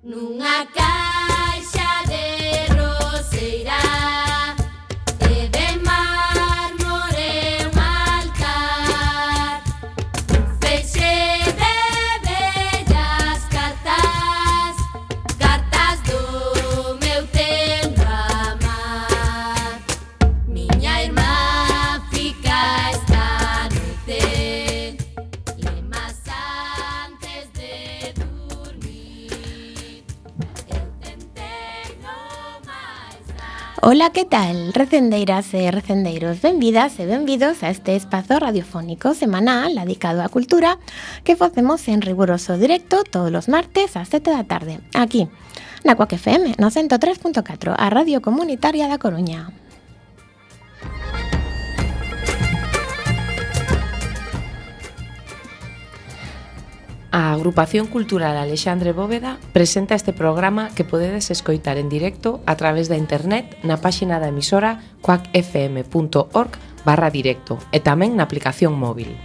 Nunha caixa de roseira e de mármore un altar, un feixe de bellas cartas, cartas do meu tempo amar. Miña irmá fica esta noite lemas antes de dormir. Eu tentei no máis dar. Ola, que tal, recendeiras e recendeiros? Benvidas e benvidos a este espazo radiofónico semanal dedicado á cultura que facemos en riguroso directo todos os martes ás 7 da tarde, aquí, na Cuac FM, no 103.4, a Radio Comunitaria da Coruña. A Agrupación Cultural Alexandre Bóveda presenta este programa que podedes escoitar en directo a través da internet na páxina da emisora cuacfm.org/directo e tamén na aplicación móvil.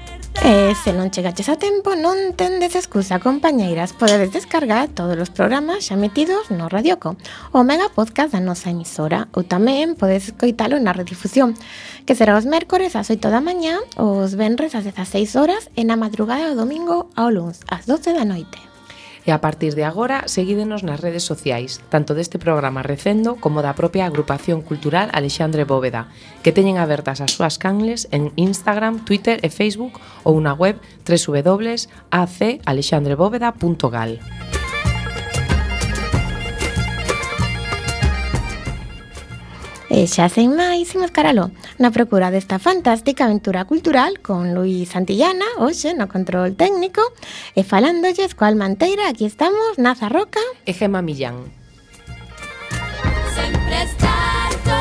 E se non chegaches a tempo, non tendes excusa, compañeiras. Podedes descargar todos os programas xa emitidos no Radioco, o mega podcast da nosa emisora, ou tamén podedes escoitalo na redifusión, que será os mércores ás 8 da mañá, os venres ás 16 horas e na madrugada do domingo ao luns ás 12 da noite. E a partir de agora, seguídenos nas redes sociais, tanto deste programa Recendo como da propia Agrupación Cultural Alexandre Bóveda, que teñen abertas as súas canles en Instagram, Twitter e Facebook ou na web www.acalexandrebóveda.gal. E xa sen máis, imos caralo na procura desta fantástica aventura cultural con Luis Santillana, hoxe no control técnico, e falándolles coa Almanteira, aquí estamos, Naza Roca E Gema Millán. Sempre estar co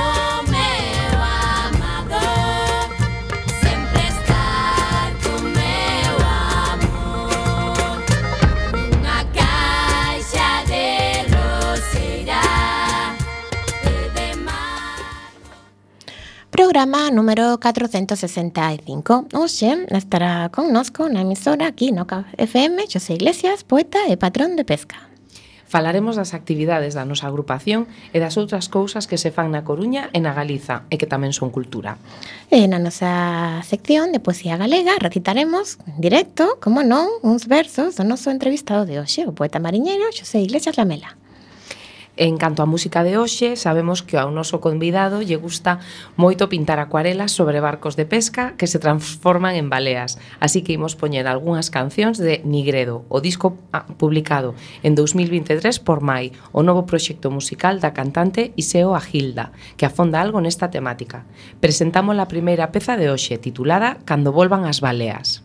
meu amado, sempre estar co meu amor. Nunha caixa de roseira e de mar. Programa número 465. Hoxe estará connosco na emisora aquí no Cuac FM Xosé Iglesias, poeta e patrón de pesca. Falaremos das actividades da nosa agrupación e das outras cousas que se fan na Coruña e na Galiza e que tamén son cultura. E na nosa sección de poesía galega recitaremos en directo, como non, uns versos do noso entrevistado de hoxe, o poeta mariñeiro Xosé Iglesias Lamela. En canto á música de hoxe, sabemos que ao noso convidado lle gusta moito pintar acuarelas sobre barcos de pesca que se transforman en baleas. Así que imos poñer algunhas cancións de Nigredo, o disco publicado en 2023 por Mai, o novo proxecto musical da cantante Iseo Agilda, que afonda algo nesta temática. Presentamos a primeira peza de hoxe, titulada Cando volvan as baleas.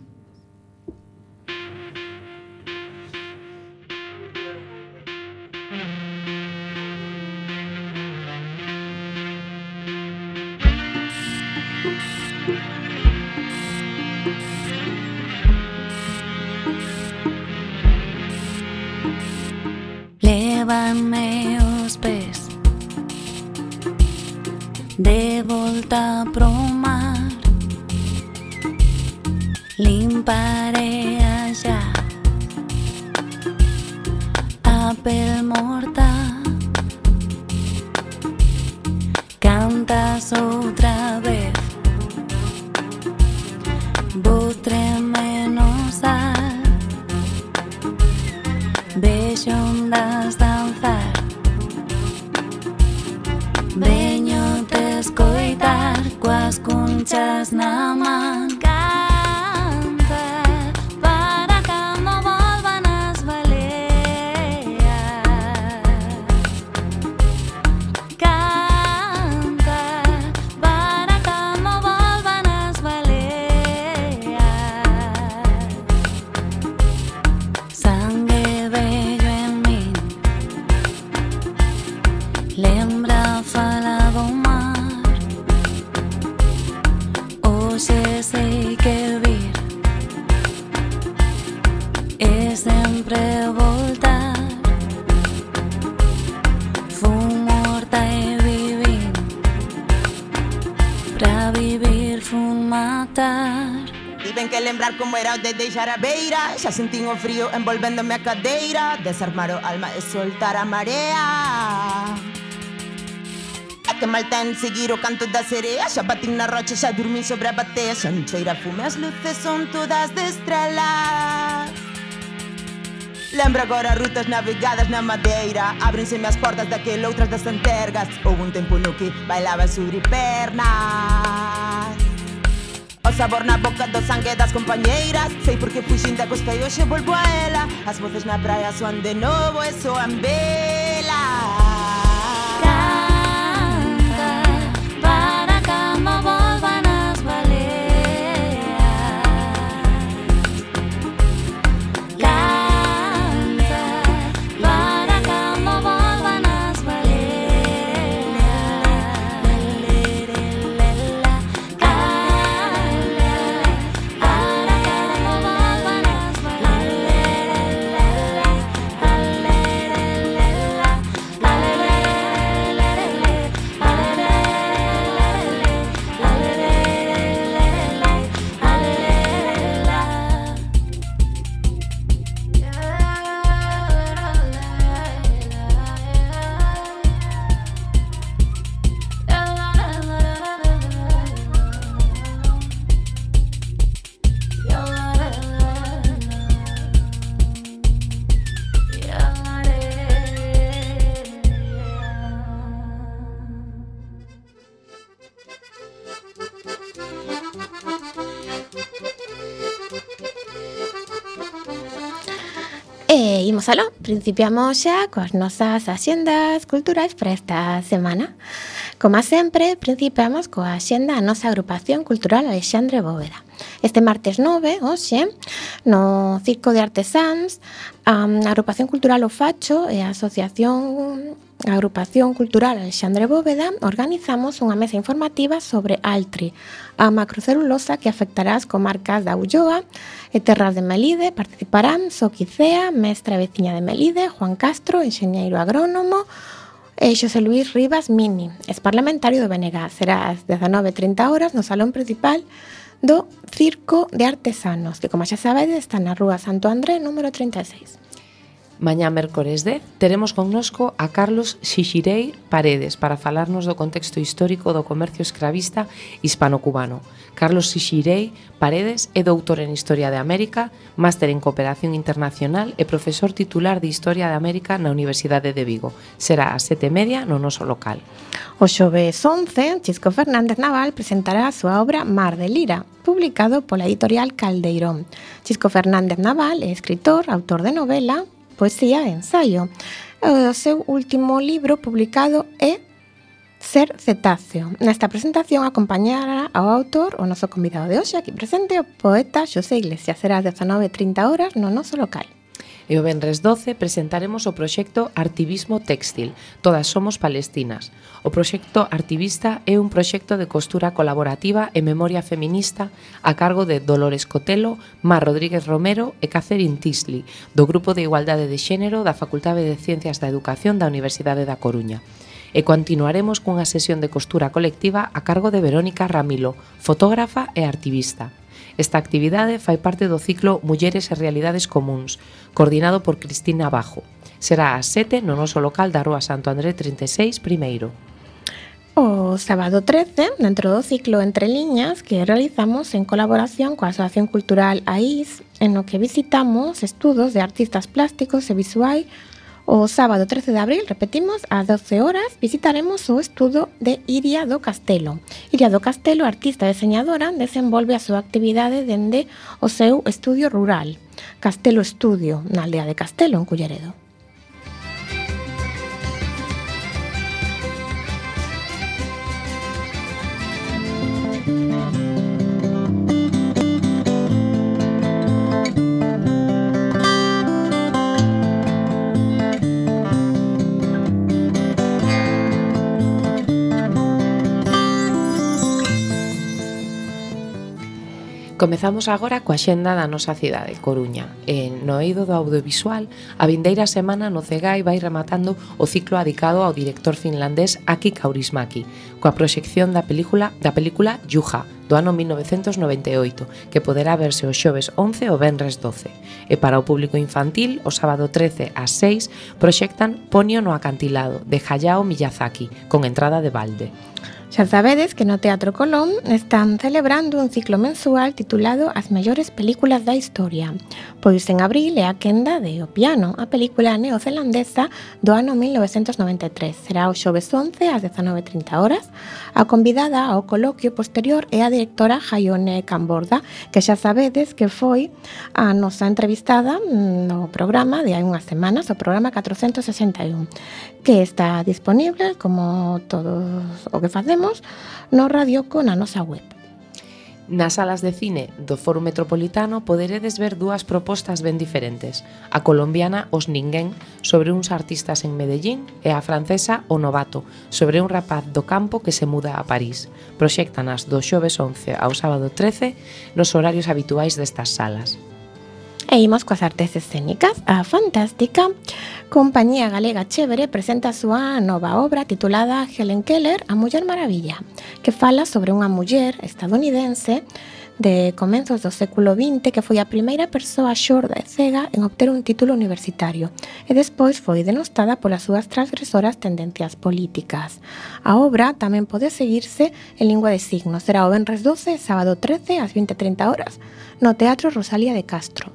Lévanme os pés de volta pro mar, limparé allá a pel morta. Cantas outra vez, vou tremenosar, vexo ondas danzar, veño te escoitar coas cunchas na man. Canta para cando volvan as baleas, canta para cando volvan as baleas. Sangue vello en min, lembra a fala do mar. Hoxe sei que vir é sempre voltar. Fun morta e vivín, pra vivir fun matar. Tiven que lembrar como era o de deixar a beira. Xa sentín o frío envolvéndome a cadeira. Desarmar o alma e soltar a marea. A que mal ten seguir o canto da serea. Xa batín na rocha, xa dormín sobre a batea. Xa non cheira fume, as luces son todas de estrelas. Lembro agora rutas navegadas na madeira. Ábrenseme as portas daquele outras das antergas. Houve un tempo no que bailaba sobre pernas. O sabor na boca do sangue das compañeiras. Sei porque fuxín da costa e hoxe volvo a ela. As voces na praia soan de novo e soan velas. Para que no vuelvan las baleas. Canta para que no vuelvan las baleas. Para que no vuelvan las E imos aló, principiamos xa coas nosas axendas culturais para esta semana. Como sempre, principiamos coa axenda da nosa agrupación cultural Alexandre Bóveda. Este martes 9, hoxe, no Circo de Artesáns, a agrupación cultural O Facho e a Agrupación Cultural Alexandre Bóveda organizamos unha mesa informativa sobre Altri, a macrocelulosa que afectará as comarcas da Ulloa e Terras de Melide. Participarán Soquicea, mestra e veciña de Melide, Juan Castro, enxeñeiro agrónomo, e Xosé Luís Rivas Mini, ex-parlamentario do BNG. Será ás 19:30 horas no salón principal do Circo de Artesanos, que, como xa sabedes, está na rúa Santo André, número 36. Mañá mércores 10 teremos connosco a Carlos Xixirei Paredes para falarnos do contexto histórico do comercio escravista hispano-cubano. Carlos Xixirei Paredes é doutor en Historia de América, máster en Cooperación Internacional e profesor titular de Historia de América na Universidade de Vigo. Será ás 7:30 no noso local. O xoves 11, Chisco Fernández Naval presentará a súa obra Mar de Lira, publicado pola editorial Caldeirón. Chisco Fernández Naval é escritor, autor de novela, poesía e ensaio. O seu último libro publicado é Ser cetáceo. Nesta presentación acompañará ao autor o noso convidado de hoxe, aquí presente, o poeta Xosé Iglesias. Será ás 19:30 horas no noso local. E o venres 12 presentaremos o proxecto Artivismo Téxtil, Todas somos palestinas. O proxecto Artivista é un proxecto de costura colaborativa e memoria feminista a cargo de Dolores Cotelo, Mar Rodríguez Romero e Catherine Tisley, do Grupo de Igualdade de Xénero da Facultade de Ciencias da Educación da Universidade da Coruña. E continuaremos cunha sesión de costura colectiva a cargo de Verónica Ramilo, fotógrafa e activista. Esta actividade fai parte do ciclo Mulleres e Realidades Comúns, coordinado por Cristina Bajo. Será ás 7 no noso local da Rúa Santo André 36, primeiro. O sábado 13, dentro do ciclo Entre Liñas, que realizamos en colaboración coa Asociación Cultural AIS, en no que visitamos estudos de artistas plásticos e visuais. O sábado 13 de abril, repetimos, ás 12 horas, visitaremos o estudo de Iria do Castelo. Iria do Castelo, artista e deseñadora, desenvolve a súa actividade dende o seu estudio rural, Castelo Estudio, na aldea de Castelo, en Culleredo. Comezamos agora coa xenda da nosa cidade, Coruña. No eido do audiovisual, a vindeira semana no Cegai vai rematando o ciclo adicado ao director finlandés Aki Kaurismäki, coa proxección da película Juha, do ano 1998, que poderá verse o xoves 11 ou venres 12. E para o público infantil, o sábado 13 ás 6, proxectan Ponyo no acantilado, de Hayao Miyazaki, con entrada de balde. Xa sabedes que no Teatro Colón están celebrando un ciclo mensual titulado As mellores películas da historia. Pois en abril é a quenda de O piano, a película neozelandesa do ano 1993. Será o xoves 11 ás 19:30 horas. A convidada ao coloquio posterior é a directora Hayone Camborda, que xa sabedes que foi a nosa entrevistada no programa de hai unhas semanas, o programa 461, que está disponible, como todo o que facemos, no Radioco na nosa web. Nas salas de cine do Foro Metropolitano poderedes ver dúas propostas ben diferentes. A colombiana Os Ninguén, sobre uns artistas en Medellín, e a francesa O Novato, sobre un rapaz do campo que se muda a París. Proxéctanas do xoves 11 ao sábado 13 nos horarios habituais destas salas. E imos coas artes escénicas. A fantástica Compañía Galega Chévere presenta a súa nova obra titulada Helen Keller, a Muller Maravilla, que fala sobre unha muller estadounidense de comenzos do século XX que foi a primeira persoa xorda e cega en obter un título universitario e despois foi denostada polas súas transgresoras tendencias políticas. A obra tamén pode seguirse en lingua de signos. Será o venres 12, sábado 13 ás 20:30 horas no Teatro Rosalía de Castro.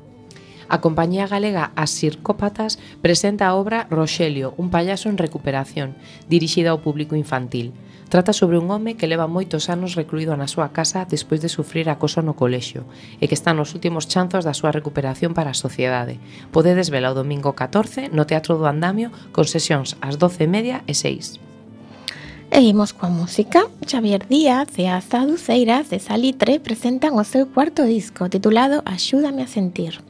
A compañía galega As Circópatas presenta a obra Roxelio, un payaso en recuperación, dirixida ao público infantil. Trata sobre un home que leva moitos anos recluído na súa casa despois de sufrir acoso no colexio e que está nos últimos chanzos da súa recuperación para a sociedade. Podedes vela o domingo 14 no Teatro do Andamio con sesións ás 12:30 e 6. E imos coa música. Xavier Díaz e as Aduceiras de Salitre presentan o seu cuarto disco titulado Axúdame a sentir.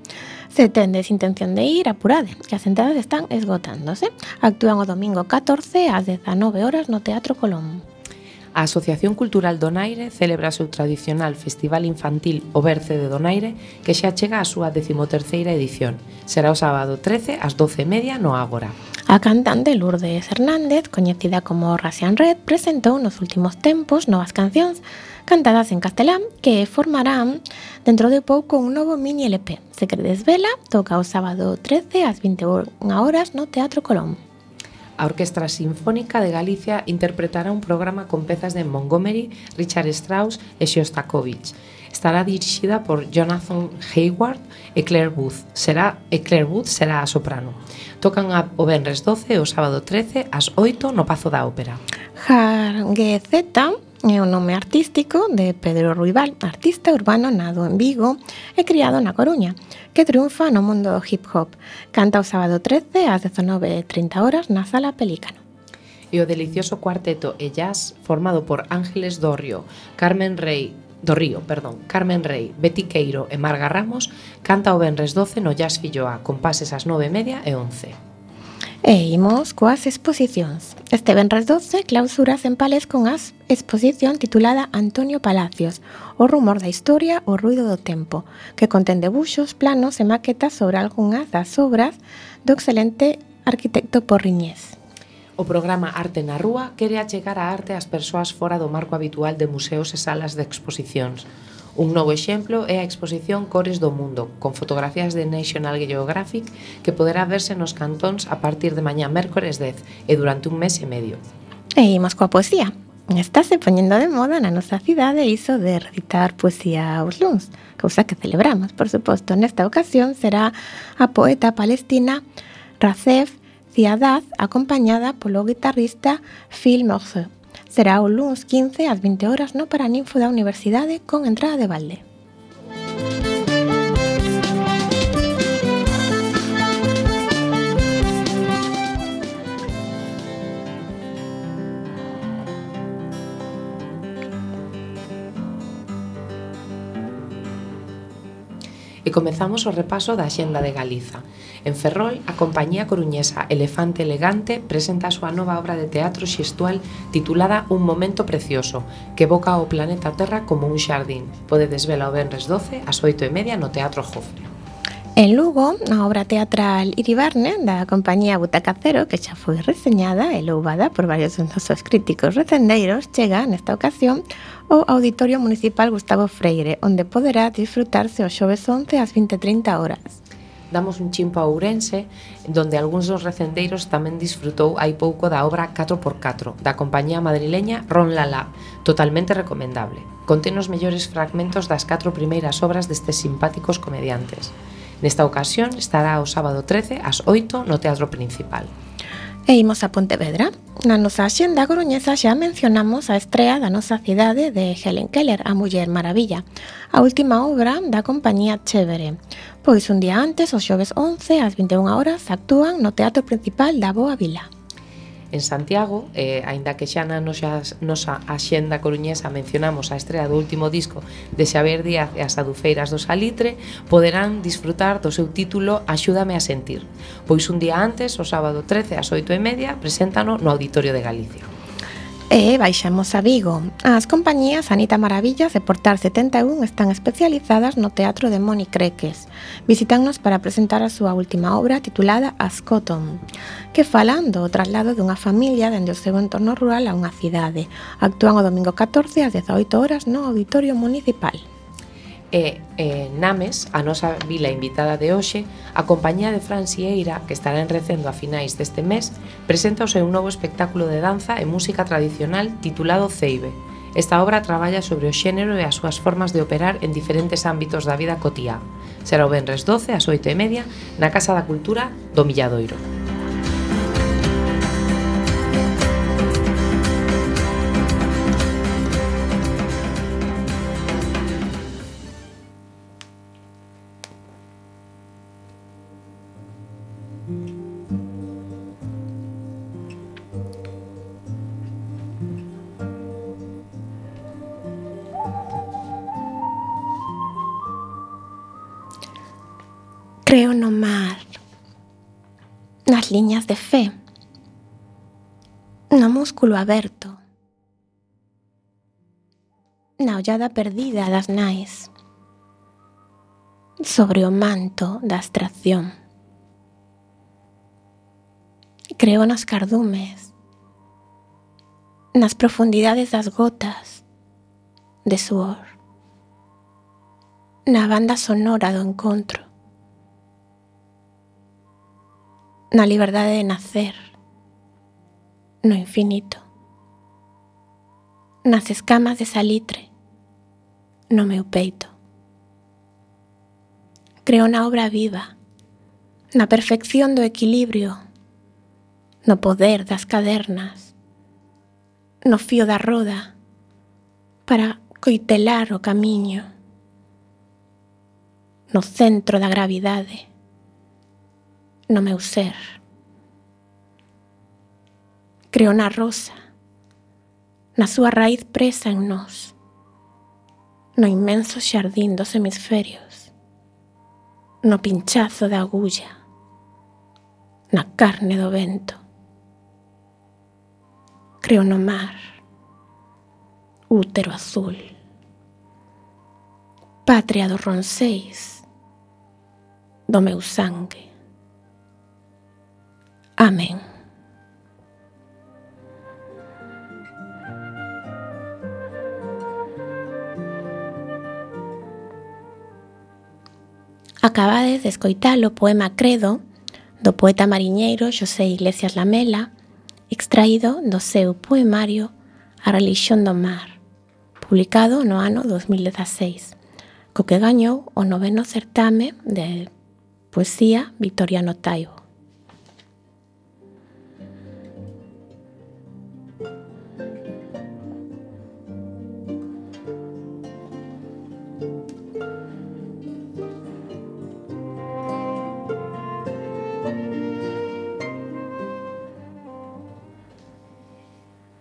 Se tendes intención de ir, apurade, que as entradas están esgotándose. Actúan o domingo 14 ás 19 horas no Teatro Colón. A Asociación Cultural Donaire celebra o seu tradicional Festival Infantil O Berce de Donaire, que xa chega á súa 13ª edición. Será o sábado 13 ás 12:30 no Ágora. A cantante Lourdes Hernández, coñecida como Russian Red, presentou nos últimos tempos novas cancións cantadas en castelán que formarán dentro de pouco un novo mini LP. Se queredes vela, toca o sábado 13 ás 21 horas no Teatro Colón. A Orquestra Sinfónica de Galicia interpretará un programa con pezas de Montgomery, Richard Strauss e Shostakovich. Estará dirixida por Jonathan Hayward e Claire Booth. Claire Booth será a soprano. Tocan o venres 12 e o sábado 13 ás 8 no Pazo da Ópera. Jarguezeta é o nome artístico de Pedro Ruibal, artista urbano nado en Vigo e criado na Coruña, que triunfa no mundo do hip hop. Canta o sábado 13 ás 19:30 horas na Sala Pelícano. E o delicioso cuarteto e jazz formado por Ángeles Carmen Rey, Betty Queiro e Marga Ramos canta o venres 12 no Jazz Filloa con pases ás 9:30 e 11. E imos coas exposicións. Este venres 12 clausuras en Pales con a exposición titulada Antonio Palacios, o rumor da historia, o ruido do tempo, que contén debuxos, planos e maquetas sobre algunhas das obras do excelente arquitecto porriñés. O programa Arte na Rúa quere achegar a arte ás persoas fora do marco habitual de museos e salas de exposicións. Un novo exemplo é a exposición Cores do Mundo, con fotografías de National Geographic que poderá verse nos cantóns a partir de mañá mércores 10 e durante un mes e medio. E imos coa poesía. Estáse poñendo de moda na nosa cidade iso de recitar poesía aos luns, cousa que celebramos, por suposto. Nesta ocasión será a poeta palestina Racef Ziadad, acompañada polo guitarrista Phil Morceau. Será o luns 15 ás 20 horas no Paraninfo da Universidade con entrada de balde. E comezamos o repaso da Axenda de Galiza. En Ferrol, a compañía coruñesa Elefante Elegante presenta a súa nova obra de teatro xestual titulada Un momento precioso, que evoca o planeta Terra como un xardín. Podedes vela o venres 12 ás 8:30 no Teatro Jofre. En Lugo, a obra teatral Iribarne da compañía Butaca Cero, que xa foi reseñada e louvada por varios dos nosos críticos recendeiros, chega nesta ocasión ao Auditorio Municipal Gustavo Freire, onde poderá disfrutarse o xoves 11 ás 20:30 horas. Damos un chimpo a Ourense, donde algúns dos recendeiros tamén disfrutou hai pouco da obra 4x4, da compañía madrileña Ron Lala, totalmente recomendable. Contén os mellores fragmentos das 4 primeiras obras destes simpáticos comediantes. Nesta ocasión estará o sábado 13 ás 8 no Teatro Principal. E imos a Pontevedra. Na nosa axenda coruñesa xa mencionamos a estrea da nosa cidade de Helen Keller, a Muller Maravilla, a última obra da compañía Chévere. Pois un día antes, o xoves 11 ás 21 horas, actúan no Teatro Principal da Boa Vila. En Santiago, aínda que xa na nosa axenda coruñesa mencionamos a estrea do último disco de Xavier Díaz e as Adufeiras do Salitre, poderán disfrutar do seu título Axúdame a sentir, pois un día antes, o sábado 13 ás 8:30, preséntano no Auditorio de Galicia. E baixamos a Vigo. As compañías Anita Maravillas e Portal 71 están especializadas no teatro de Moni Creques. Visítannos para presentar a súa última obra titulada Ascotón, que falan do traslado dunha familia dende o seu entorno rural a unha cidade. Actúan o domingo 14 ás 18 horas no Auditorio Municipal. E Names, a nosa vila invitada de hoxe, a compañía de Fran Sieira, que estará en Recendo a finais deste mes, presenta o seu novo espectáculo de danza e música tradicional titulado Ceibe. Esta obra traballa sobre o xénero e as súas formas de operar en diferentes ámbitos da vida cotiá. Será o venres 12 ás 8:30 na Casa da Cultura do Milladoiro. Creo no mar, nas liñas de fe, no músculo aberto, na ollada perdida das nais, sobre o manto da abstracción. Creo nos cardumes, nas profundidades das gotas de suor, na banda sonora do encontro, na liberdade de nacer, no infinito, nas escamas de salitre, no meu peito. Creo na obra viva, na perfección do equilibrio, no poder das cadernas, no fío da roda para coitelar o camiño, no centro da gravidade, no meu ser. Creo na rosa, na súa raíz presa en nós, no inmenso xardín dos hemisferios, no pinchazo da agulla, na carne do vento. Creo no mar, útero azul, patria dos ronceis, do meu sangue. Amén. Acabades de escoitar o poema Credo do poeta mariñeiro Xosé Iglesias Lamela, extraído do seu poemario A relixión do mar, publicado no ano 2016, co que gañou o 9º certame de poesía Victoriano Taibo.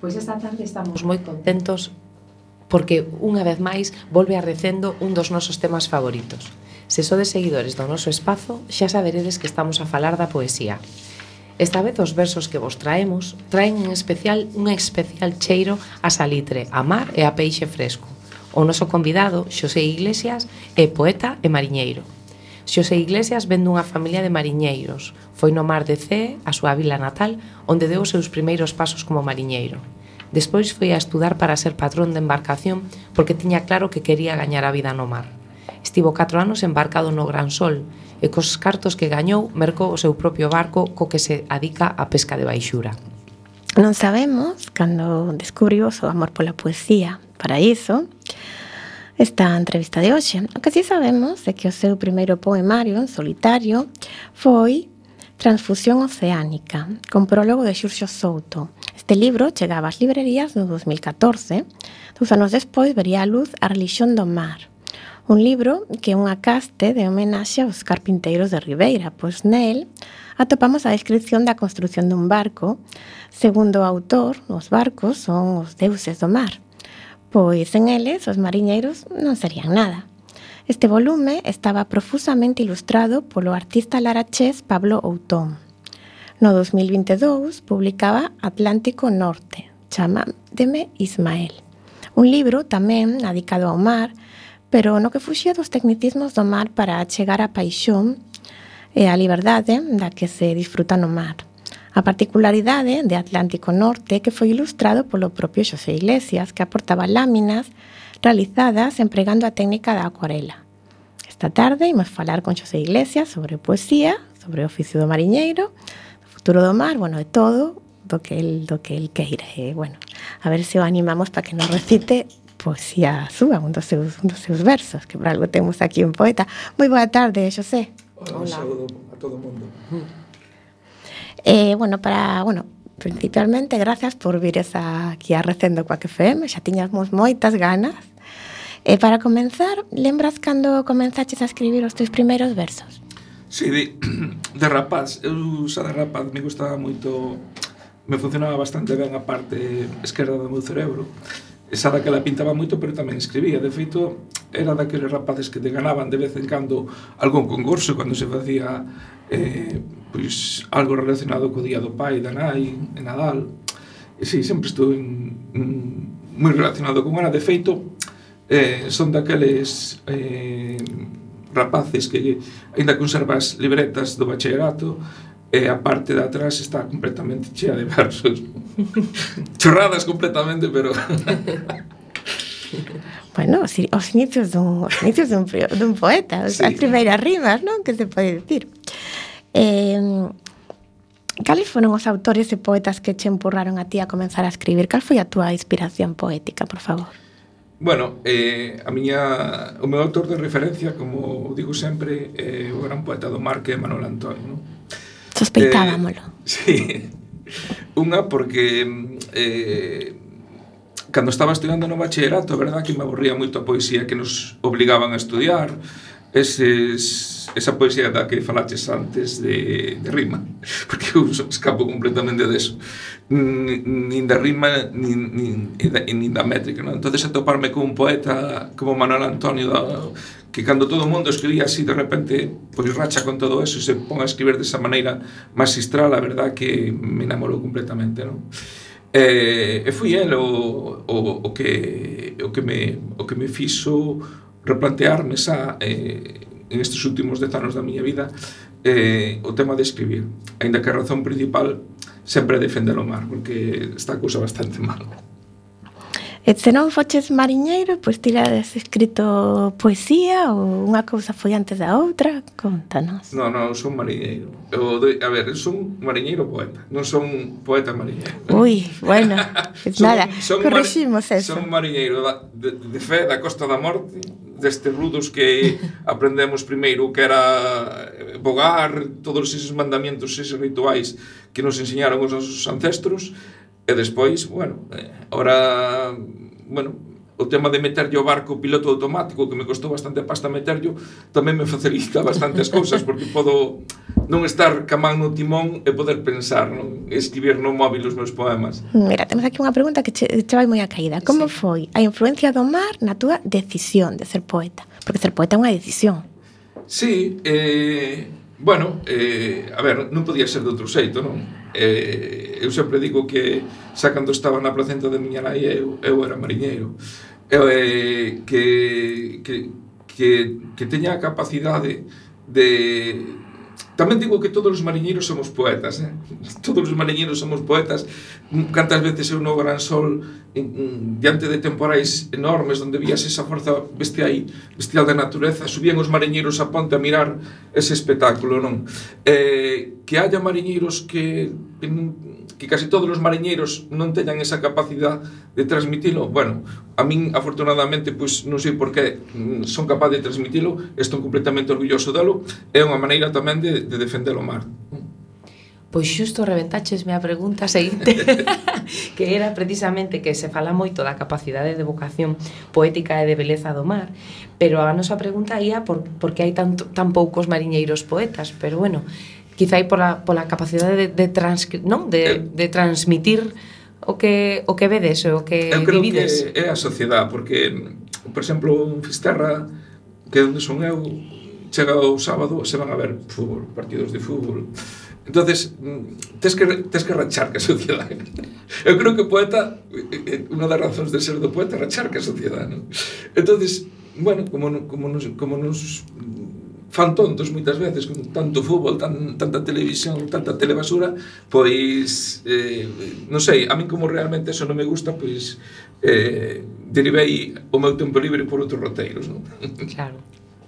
Pois esta tarde estamos moi contentos porque unha vez máis volve a Recendo un dos nosos temas favoritos. Se sodes seguidores do noso espazo, xa saberedes que estamos a falar da poesía. Esta vez os versos que vos traemos traen un especial cheiro a salitre, a mar e a peixe fresco. O noso convidado, Xosé Iglesias, é poeta e mariñeiro. Xosé Iglesias vén dunha familia de mariñeiros. Foi no mar de Cee, a súa vila natal, onde deu os seus primeiros pasos como mariñeiro. Despois foi a estudar para ser patrón de embarcación porque tiña claro que quería gañar a vida no mar. Estivo 4 anos embarcado no Gran Sol e cos cartos que gañou mercou o seu propio barco co que se adica á pesca de baixura. Non sabemos cando descubriu o seu amor pola poesía. Para iso, esta entrevista de hoxe. O que si sabemos é que o seu primeiro poemario en solitario foi Transfusión Oceánica, con prólogo de Xurxo Souto. Este libro chegaba ás librerías no 2014. 2 anos despois vería a luz A Relixión do Mar, un libro que é unha caste de homenaxe aos carpinteiros de Ribeira, pois nel atopamos a descripción da construción dun barco. Segundo o autor, os barcos son os deuses do mar, pois en eles os mariñeiros non serían nada. Este volume estaba profusamente ilustrado polo artista larachés Pablo Outón. No 2022 publicaba Atlántico Norte, Chámademe Ismael, un libro tamén dedicado ao mar, pero no que fuxía dos tecnicismos do mar para chegar á paixón e á liberdade da que se disfruta no mar. A particularidade de Atlántico Norte que foi ilustrado polo propio Xosé Iglesias, que aportaba láminas realizadas empregando a técnica da acuarela. Esta tarde imos falar con Xosé Iglesias sobre poesía, sobre o oficio do mariñeiro, o futuro do mar, de todo do que el queira. E, a ver se o animamos para que nos recite poesía súa, un dos seus versos, que por algo temos aquí un poeta. Moi boa tarde, Xosé. Hola. Un saúdo a todo o mundo. Principalmente, gracias por vir aquí a Recendo coa FM, xa tiñamos moitas ganas. Para comenzar, lembras cando comenzaches a escribir os teus primeiros versos? Sí, de rapaz. Eu xa de rapaz me gustaba moito, me funcionaba bastante ben a parte esquerda do meu cerebro. Esa daquela pintaba moito, pero tamén escribía. De feito, era daqueles rapaces que te ganaban de vez en cando algún concurso cando se facía algo relacionado co Día do Pai, da Nai, en Nadal. E sí, sempre estuve moi relacionado con ela. De feito, son daqueles rapaces que aínda conservas libretas do bachillerato e a parte de atrás está completamente chea de versos. Chorradas completamente, pero... os inicios dun poeta, sí. As primeiras rimas, non? Que se pode dicir. Cales foron os autores e poetas que che empurraron a ti a comenzar a escribir? Cal foi a túa inspiración poética, por favor? O meu autor de referencia, como digo sempre, é o gran poeta do mar que é Manuel Antonio, non? Sospeitábamolo. Sí. Unha porque cando estaba estudando no bachillerato, a verdad que me aburría moito a poesía que nos obligaban a estudiar, esa poesía da que falaches antes de rima, porque eu escapo completamente deso, nin da rima nin da métrica, non? Entonces atoparme con un poeta como Manuel Antonio, que cando todo o mundo escribía así, de repente racha con todo eso e se pon a escribir desa maneira magistral, a verdad que me enamorou completamente, non? E foi el o que me fixo replantearme en estes últimos 10 anos da miña vida o tema de escribir, aínda que a razón principal sempre é defender o mar, porque está a cousa bastante mal. E se non foches mariñeiro, pois tirades escrito poesía ou unha cousa foi antes da outra? Contanos. Non, son mariñeiro. Son mariñeiro poeta, non son poeta mariñeiro. Ui, nada, corriximos eso. Son mariñeiro de fe da Costa da Morte, destes rudos que aprendemos primeiro, que era bogar, todos eses mandamientos, eses rituais que nos enseñaron os nosos ancestros. E despois, o tema de meterlle o barco piloto automático, que me costou bastante pasta meterlle, tamén me facilita bastantes cousas, porque podo non estar camán no timón e poder pensar, non? Escribir no móvil os meus poemas. Mira, temos aquí unha pregunta que che vai moi a caída. Como foi a influencia do mar na túa decisión de ser poeta? Porque ser poeta é unha decisión. Sí, bueno, a ver, non podía ser de outro xeito, non? Eu sempre digo que xa cando estaba na placenta de miña nai eu era mariñeiro. Que teña a capacidade de... Tamén digo que todos os mariñeiros somos poetas, Todos os mariñeiros somos poetas. Cantas veces eu no Gran Sol diante de temporais enormes onde vías esa forza bestial da natureza, subían os mariñeiros a ponte a mirar ese espectáculo, non? Que haya mariñeiros que casi todos os mariñeiros non teñan esa capacidade de transmitilo, bueno, a min afortunadamente pois non sei por que son capaz de transmitilo, estou completamente orgulloso delo, é unha maneira tamén de defender o mar. Pois xusto reventaches a pregunta seguinte que era precisamente que se fala moito da capacidade de vocación poética e de beleza do mar, pero a nosa pregunta ia por que hai tan poucos mariñeiros poetas, pero bueno, quizá pola capacidade de transmitir o que vedes, o que vivides. Eu creo que é a sociedade, porque, por exemplo, en Fisterra, que é onde son eu, chega o sábado, se van a ver fútbol, partidos de fútbol. Entonces, tes que rachar que a sociedade. Eu creo que o poeta, unha das razóns de ser do poeta é rachar que a sociedade, non? Entonces, bueno, como nos fan tontos moitas veces con tanto fútbol, tanta televisión, tanta telebasura, pois non sei, a min como realmente eso non me gusta, pois derivei o meu tempo libre por outros roteiros, non? Claro.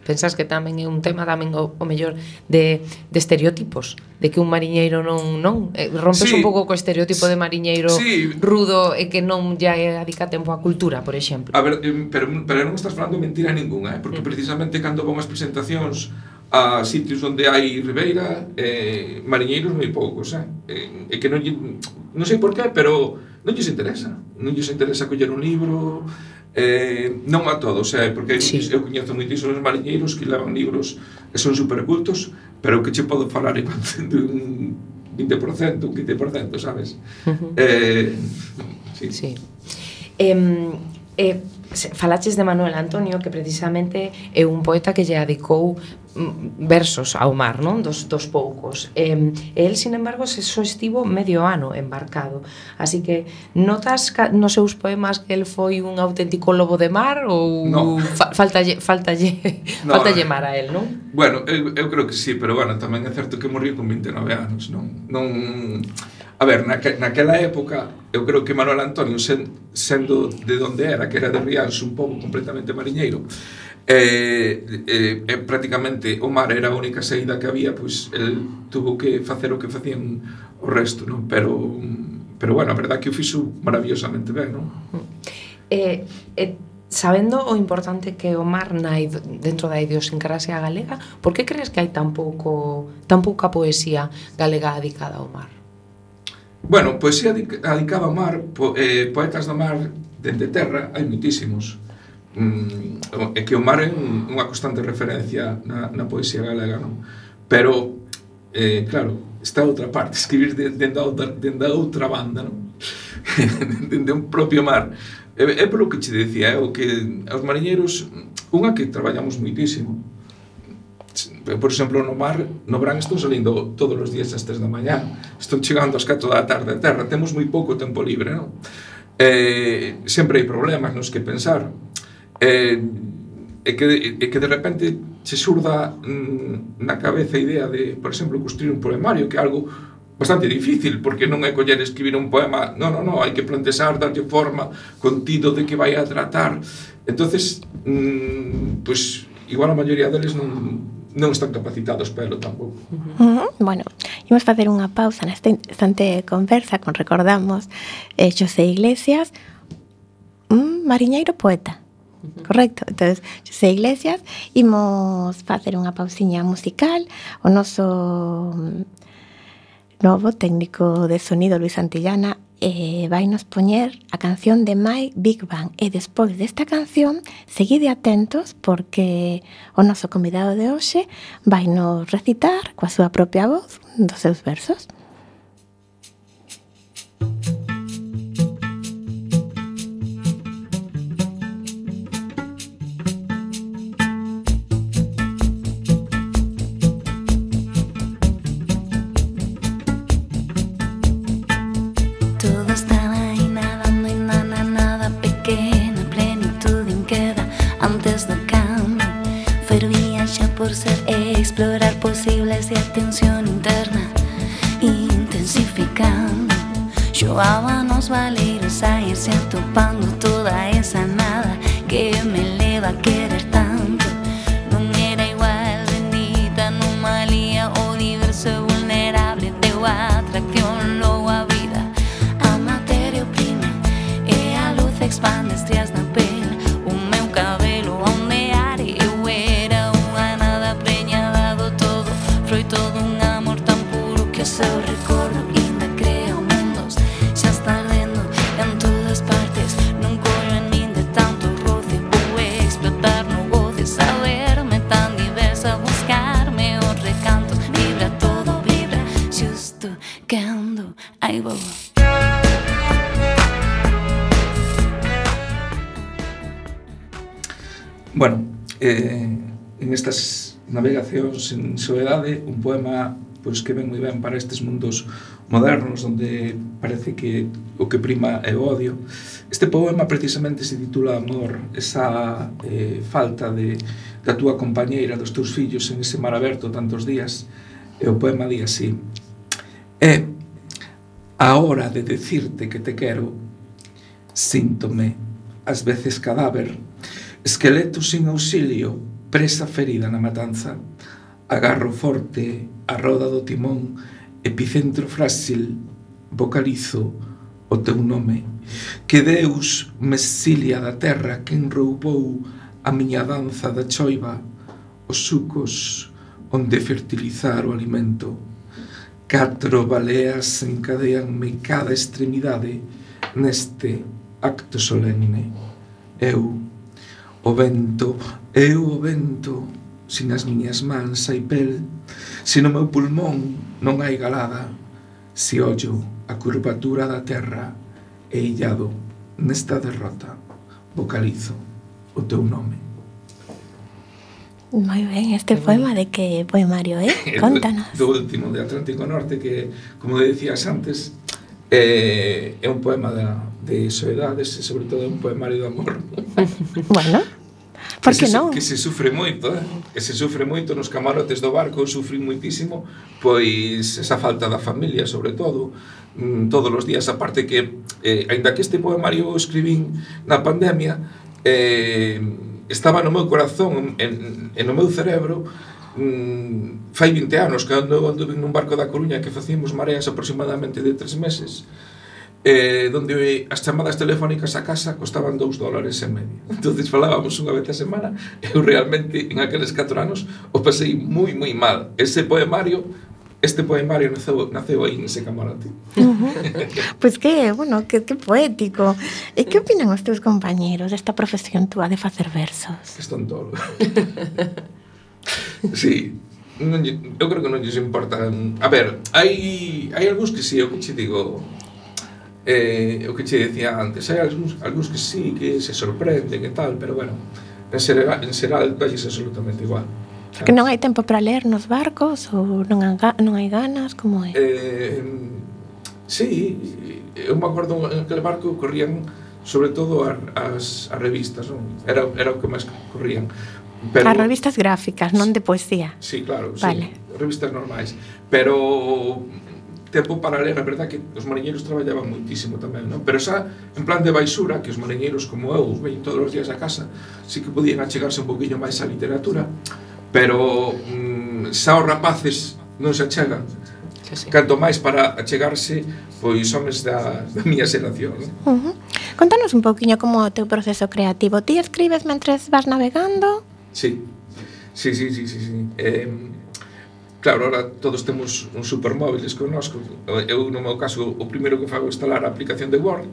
Pensas que tamén é un tema tamén o mellor de estereotipos, de que un mariñeiro non rompes un pouco co estereotipo de mariñeiro rudo e que non lle adica tempo á cultura, por exemplo. A ver, pero non estás falando mentira ninguna, porque precisamente cando vão as presentacións a sitios onde hai ribeira, mariñeiros moi poucos, e que non sei por qué, pero non lles interesa coller un libro, non a todos, porque eu coñezo moitísimos mariñeiros que levan libros e son supercultos, pero que che podo falar igual de un 20%, un 15%, sabes? Sí. Falaches de Manuel Antonio, que precisamente é un poeta que lle adicou versos ao mar, non? Dos poucos. El, sin embargo, só estivo medio ano embarcado. Así que notas nos seus poemas que el foi un auténtico lobo de mar ou faltalle mar a el, non? Bueno, eu creo que sí, pero bueno, tamén é certo que morriu con 29 anos, non? A ver, naquela época, eu creo que Manuel Antonio, sendo de onde era, que era de Rianxo, un pouco completamente mariñeiro, prácticamente o mar era a única saída que había, pois el tuvo que facer o que facían o resto, non? Pero bueno, a verdade que o fixo maravillosamente ben, non? Sabendo o importante que o mar nai dentro da idiosincrasia galega, por que crees que hai tan pouca poesía galega dedicada ao mar? Bueno, poesía dedicada ao mar, poetas do mar dende terra, hai moitísimos. É que o mar é unha constante referencia na poesía galega, non? Pero, claro, está a outra parte, escribir dende a outra banda, non? Dende un propio mar. É polo que che dicía, o que os mariñeiros, unha que traballamos moitísimo. Por exemplo, no mar, no verán estou salindo todos os días ás 3 da mañá, estou chegando ás 4 da tarde a terra, temos moi pouco tempo libre, non? Sempre hai problemas nos que pensar, e que de repente se surda na cabeza a idea de, por exemplo, construir un poemario, que é algo bastante difícil, porque non é coller escribir un poema, non, hai que plantexar, darlle forma, contido de que vai a tratar. Entonces, pois, igual a maioría deles non están capacitados para elo tampouco. Bueno, imos facer unha pausa nesta instante conversa con recordamos Xosé Iglesias, un mariñeiro poeta. Correcto, entonces Xosé Iglesias, imos facer unha pausiña musical. O noso novo técnico de sonido, Luis Santillana, vai nos poñer a canción de My Big Bang, e despois desta canción seguide atentos porque o noso convidado de hoxe vai nos recitar coa súa propia voz dos seus versos. intensificando. Xoaba nos valeiros a irse atopando toda esa nada que me leva a querer tanto. Non era igual, bendita anomalía, o diverso e vulnerable deu a atracción, logo a vida. A materia oprime e a luz expande estrias na pel. O meu cabelo a ondear e eu era unha nada preñada do todo, froito dun amor tan puro que o seu recordo ainda crea mundos. Xa está ardendo en todas partes, non collo en min de tanto roce. Vou explotar no goce, saberme tan diversa, buscarme os recantos. Vibra todo, vibra, xusto cando aí vou. Bueno, en estas navegacións en soedade, un poema pois que ven moi ben para estes mundos modernos onde parece que o que prima é o odio. Este poema precisamente se titula Amor, esa falta da túa compañeira, dos teus fillos en ese mar aberto tantos días. E o poema di así: é a hora de decirte que te quero, síntome ás veces cadáver, esqueleto sin auxilio, presa ferida na matanza. Agarro forte a roda do timón, epicentro frágil, vocalizo o teu nome. Que Deus me exilia da terra quen roubou a miña danza da choiva, os sucos onde fertilizar o alimento. 4 baleas encadeanme cada extremidade neste acto solemne. Eu, o vento, sin as miñas mans hai pel, se no meu pulmón non hai galada, se ollo a curvatura da terra e illado nesta derrota, vocalizo o teu nome. Moi ben, este poema de que poemario, Contanos. Do último, de Atlántico Norte, que, como decías antes, é un poema de soedades e, sobre todo, é un poemario de amor. Bueno, por que non? Que se sufre moito, que se sufre moito nos camarotes do barco. Eu sufrí moitísimo, pois, esa falta da familia, sobre todo, todos os días. Aparte que, aínda que este poemario o escribín na pandemia, estaba no meu corazón e no meu cerebro fai 20 anos que anduve nun barco da Coruña que facíamos mareas aproximadamente de 3 meses, donde as chamadas telefónicas a casa costaban $2.50. Entonces falábamos unha vez a semana. Eu realmente en aqueles 4 anos o pasei moi mal. Este poemario naceu aí nese camarote. Pois que, bueno, que poético. E que opinan os teus compañeros desta profesión túa de facer versos? Que están tolos. Sí, eu creo que non lles importan. A ver, hai algúns que sí, o que che digo, o que che decía antes, hai algúns que sí, que se sorprenden e tal, pero bueno, en xeral dalles absolutamente igual. Que non hai tempo para ler nos barcos ou non hai ganas, como é? Sí, eu me acordo en aquele barco corrían sobre todo as revistas, non? Era o que máis corrían. Pero, as revistas gráficas, non de poesía. Sí, claro, vale. Sí, revistas normais. Pero tempo para ler, a verdad que os mariñeiros traballaban moitísimo tamén, non? Pero xa en plan de baixura, que os mariñeiros como eu ven todos os días a casa, sí que podían achegarse un poquinho máis á literatura, pero xa os rapaces non se achegan. Sí. Canto máis para achegarse, pois homes da miña xeración, non? Contanos un pouquiño como o teu proceso creativo. Ti escribes mentres vas navegando? Sí. Claro, ahora todos temos uns supermóviles connosco. Eu, no meu caso, o primeiro que fago é instalar a aplicación de Word.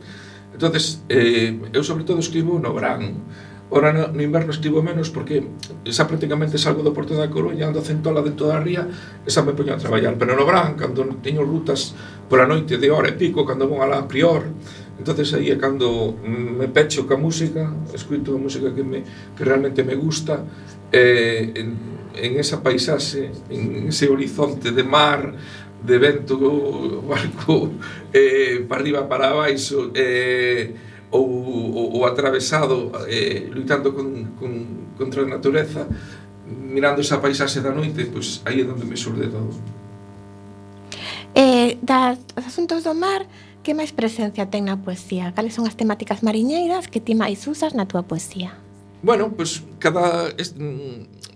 Entonces, eu sobre todo escribo no verán. Ora no inverno escribo menos porque xa prácticamente salgo do Porto da Coruña, ando a Centola dentro da ría e xa me poño a traballar. Pero no verán, cando teño rutas pola noite de hora e pico, cando vou alá a Prior, entonces aí é cando me pecho ca música, escuto a música que realmente me gusta, en esa paisaxe, en ese horizonte de mar, de vento, barco, para arriba, para abaixo, ou atravesado, lutando contra a natureza, mirando esa paisaxe da noite, pois aí é onde me surde todo. Dos asuntos do mar, que máis presencia ten na poesía? Cales son as temáticas mariñeiras que ti máis usas na túa poesía? Bueno, pues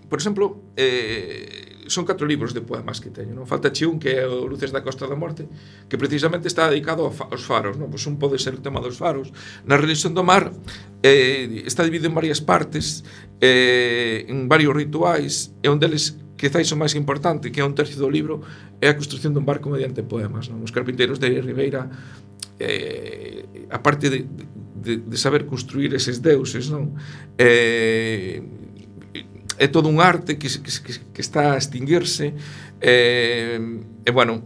por exemplo, son 4 libros de poemas que teño, non? Falta un que é o Luces da Costa da Morte, que precisamente está dedicado aos faros, non? Pois un pode ser o tema dos faros. Na Religión do Mar está dividido en varias partes, en varios rituais, e un deles quizás o máis importante, que é un tercio do libro, é a construción dun barco mediante poemas, non? Os carpinteiros de Ribeira, a parte de saber construir eses deuses, non? É todo un arte que está a extinguirse, e bueno,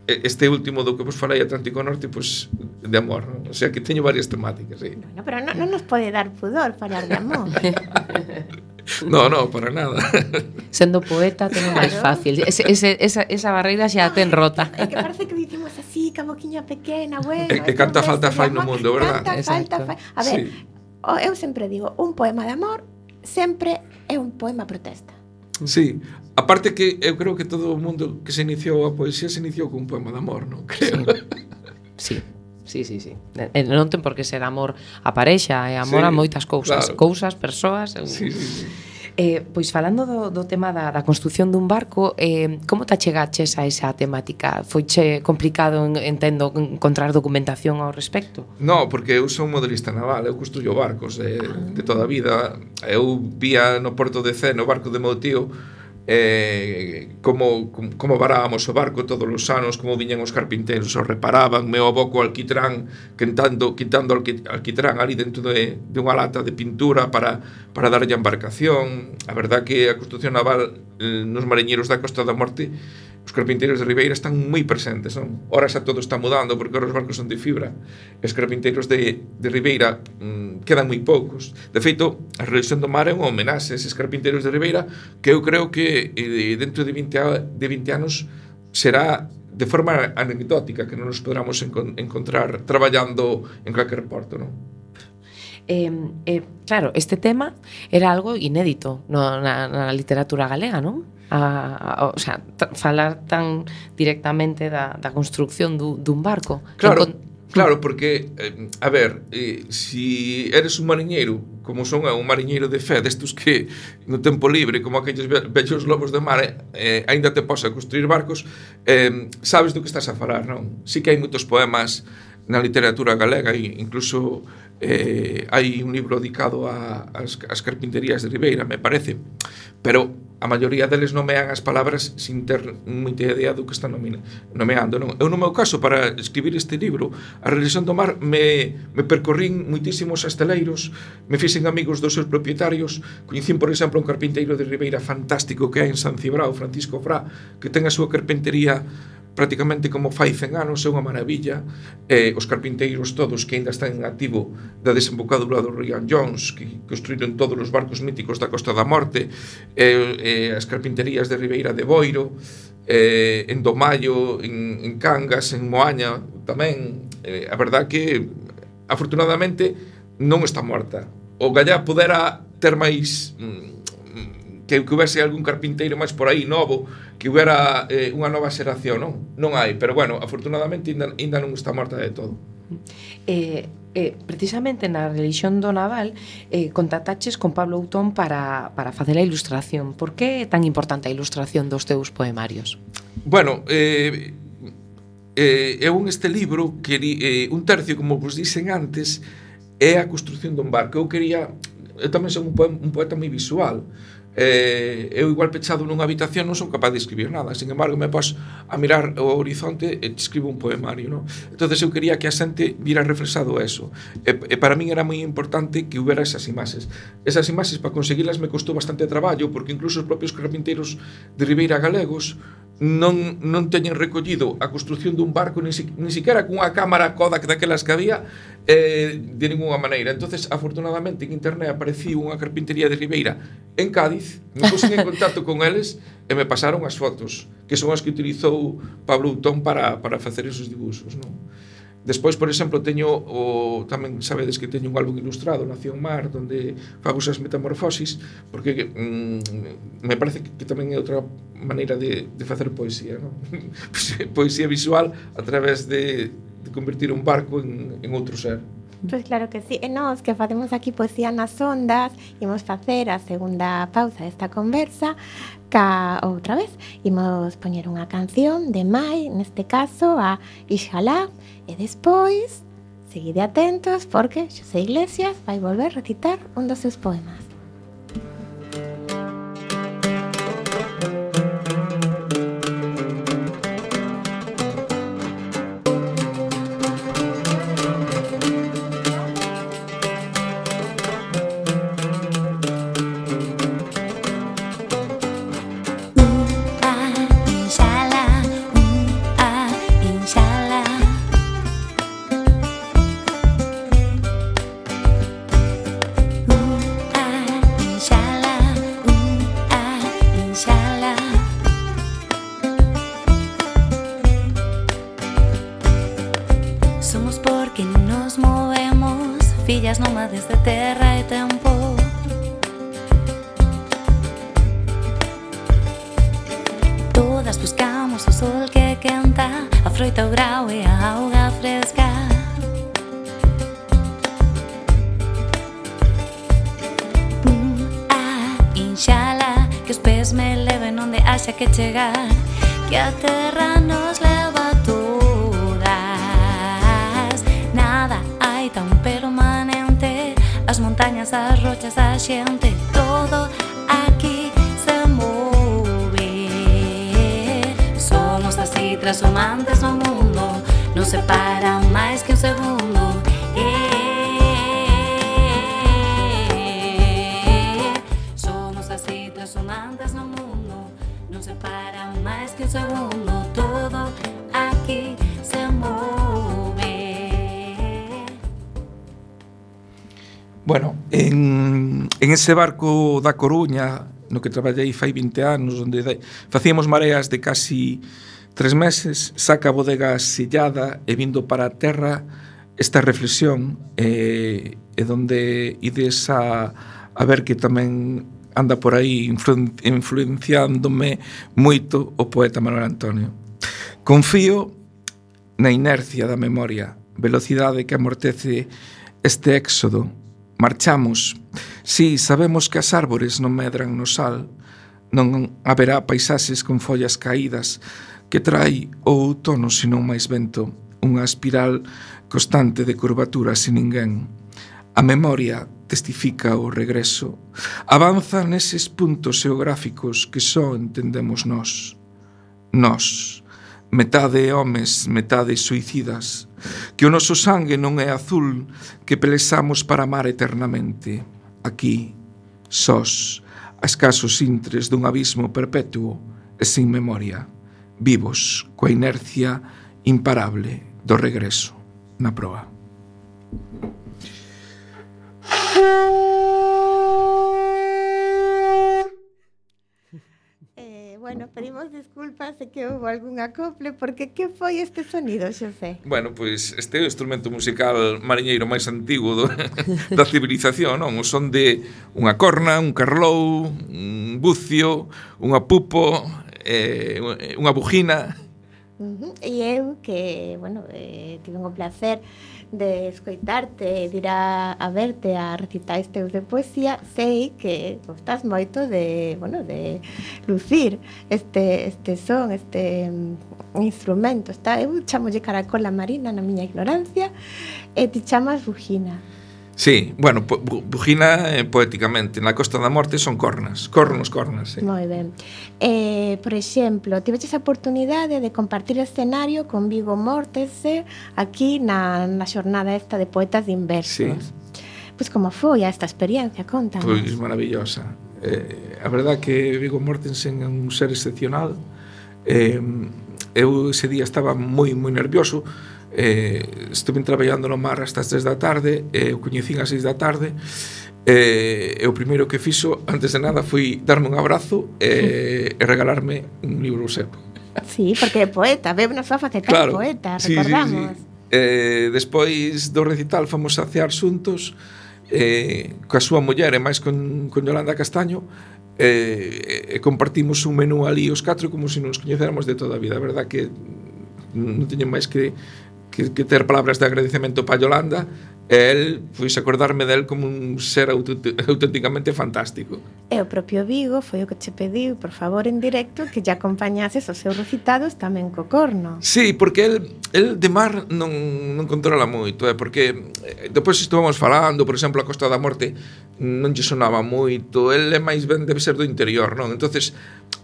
este último do que vos falei, Atlántico Norte, pois de amor, non? O sea que teño varias temáticas, sí. Bueno, pero non nos pode dar pudor falar de amor. No, para nada. Sendo poeta ten máis fácil. Esa barreira xa ten rota. É que parece que dicimos así, ca boquiña pequena, bueno... E canta falta fai no mundo, verdad? Canta falta fai... A ver, eu sempre digo, un poema de amor sempre é un poema protesta. Sí, aparte que eu creo que todo o mundo que se iniciou a poesía se iniciou con un poema de amor, non? Creo. Sí. Non ten por que ser amor a parexa, é amor a moitas cousas, claro. Cousas, persoas. Sí. Pois falando do tema da construción dun barco, como te achegaches a esa temática? Foiche complicado, entendo, encontrar documentación ao respecto? No, porque eu son modelista naval, eu construyo barcos de toda a vida. Eu vía no porto de Cee, no barco de meu tío, como varábamos o barco todos os anos, como viñan os carpinteiros, o reparaban, meu avó co alquitrán, quitando alquitrán ali dentro de unha lata de pintura para darlle a embarcación. A verdad que a construción naval nos mariñeiros da Costa da Morte, os carpinteiros de Ribeira están moi presentes, non? Ora xa todo está mudando porque ora os barcos son de fibra. Os carpinteiros de Ribeira quedan moi poucos. De feito, a Religión do Mar é unha homenaxe a eses carpinteiros de Ribeira, que eu creo que dentro de 20 anos será de forma anecdótica, que non nos podramos encontrar traballando en calquer porto, non? Claro, este tema era algo inédito na literatura galega, non? O sea, falar tan directamente da construcción dun barco. Claro, porque, a ver, si eres un mariñeiro, como son un mariñeiro de fe, destos que no tempo libre, como aquellos vellos lobos de mar, aínda te posa construir barcos, sabes do que estás a falar, non? Sí que hai moitos poemas na literatura galega, e incluso hai un libro dedicado ás carpinterías de Ribeira, me parece, pero a maioría deles nomean as palabras sin ter moita idea do que están nomeando, non? Eu, no meu caso, para escribir este libro, A Religión do Mar, me percorrín moitísimos asteleiros, me fixen amigos dos seus propietarios, coñecín, por exemplo, un carpinteiro de Ribeira fantástico que hai en San Cibrao, Francisco Frá, que ten a súa carpintería prácticamente como fai 100 anos, é unha maravilla. Os carpinteiros todos que ainda están en activo da desembocadura do río Jones, que construíron todos os barcos míticos da Costa da Morte, as carpinterías de Ribeira de Boiro, en Domaio, en Cangas, en Moaña tamén. A verdad que afortunadamente non está morta. O Gallá pudera ter máis que houvese algún carpinteiro máis por aí novo, que houbera unha nova xeración, non hai, pero bueno, afortunadamente ainda non está morta de todo. Precisamente na Religión do Naval contactaches con Pablo Outón para facer a ilustración. Por que é tan importante a ilustración dos teus poemarios? Bueno, eu este libro un tercio, como vos dixen antes, é a construción dun barco. Eu tamén son un poeta moi visual. Eu igual pechado nunha habitación non son capaz de escribir nada, sin embargo me pos a mirar o horizonte e escribo un poemario, non? Entonces eu quería que a xente vira reflexado eso, e para min era moi importante que houbera esas imaxes para conseguilas me costou bastante traballo, porque incluso os propios carpinteiros de Ribeira galegos non teñen recollido a construción dun barco ni siquiera cunha cámara Kodak daquelas que había de ninguna maneira. Entonces, afortunadamente, en internet apareciu unha carpintería de Ribeira en Cádiz, me puxen en contacto con eles e me pasaron as fotos, que son as que utilizou Pablo Outón para facer esos dibuxos, non? Despois, por exemplo, teño tamén sabedes que teño un álbum ilustrado, Nación Mar, onde fago esas metamorfosis, porque me parece que tamén é outra maneira de facer poesía, non? Poesía visual a través de convertir un barco en outro ser. Pois claro que sí. E nós que facemos aquí Poesía nas Ondas imos facer a segunda pausa desta conversa outra vez. Imos poñer unha canción de Mai, neste caso a Ixalá, e despois seguide atentos porque Xosé Iglesias vai volver a recitar un dos seus poemas. Nómades de terra e tempo. Todas buscamos o sol que quenta, a froita, o grau e a auga fresca. Inshallah, que os pés me leven onde haxa que chegar, que a terra nos leva a todas. Nada hai tan permanente, as montañas, as rochas, a xente, todo aquí se move. Somos así transformantes no mundo, non se para máis que un segundo. Somos así transformantes no mundo, non se para máis que un segundo, todo aquí se move. Bueno, en ese barco da Coruña, no que traballei fai 20 anos, onde facíamos mareas de casi 3 meses, saca a bodega sellada e vindo para a terra esta reflexión, e donde ides a ver que tamén anda por aí influenciándome moito o poeta Manuel Antonio. Confío na inercia da memoria, velocidade que amortece este éxodo. Marchamos. Si, sabemos que as árbores non medran no sal, non haberá paisaxes con follas caídas que trai o outono senón máis vento, unha espiral constante de curvatura sin ninguén. A memoria testifica o regreso, avanza neses puntos geográficos que só entendemos nós. Nós, metade homes, metade suicidas, que o noso sangue non é azul, que pelexamos para amar eternamente. Aquí, sós, a escasos intres dun abismo perpetuo e sin memoria, vivos coa inercia imparable do regreso na proa. Bueno, pedimos disculpas se que houve algún acople, porque que foi este sonido, Xosé? Bueno, pois este é o instrumento musical mariñeiro máis antigo da civilización, non? O son de unha corna, un carlou, un bucio, unha pupo, unha bujina. E eu que, bueno, tive o placer de escoitarte, de ir a verte a recitais teus de poesía, sei que gostas moito de, bueno, de lucir este son, este instrumento. Eu chamolle caracola marina na miña ignorancia e ti chamas bujina. Sí, bueno, bujina poéticamente. Na Costa da Morte son cornas, cornos, sí. Moi ben. Por exemplo, tiveches a oportunidade de compartir escenario con Vigo Mortensen aquí na xornada esta de poetas de inversos. Sí. Pois como foi esta experiencia? Contanos. Pois maravillosa. A verdad que Vigo Mortensen é un ser excepcional. Eu ese día estaba moi nervioso. Estuve traballando no mar hasta as 3 da tarde, o coñecín ás 6 da tarde, e o primeiro que fixo antes de nada foi darme un abrazo e regalarme un libro seu. Sí, porque é poeta, nos va a facer claro, poeta, sí, recordamos. Sí. Despois do recital fomos a cear xuntos coa súa muller e máis con Yolanda Castaño, e compartimos un menú ali os 4 como se nos coñecéramos de toda a vida. A verdad que non teño máis que ter palabras de agradecemento para Yolanda, e el, pois acordarme del como un ser auténticamente fantástico. E o propio Vigo foi o que che pediu, por favor, en directo, que lle acompañases os seus recitados tamén co corno. Sí, porque el de mar non controla moito, porque depois estuvamos falando, por exemplo, a Costa da Morte non lle sonaba moito, el é máis ben debe ser do interior, non? Entonces,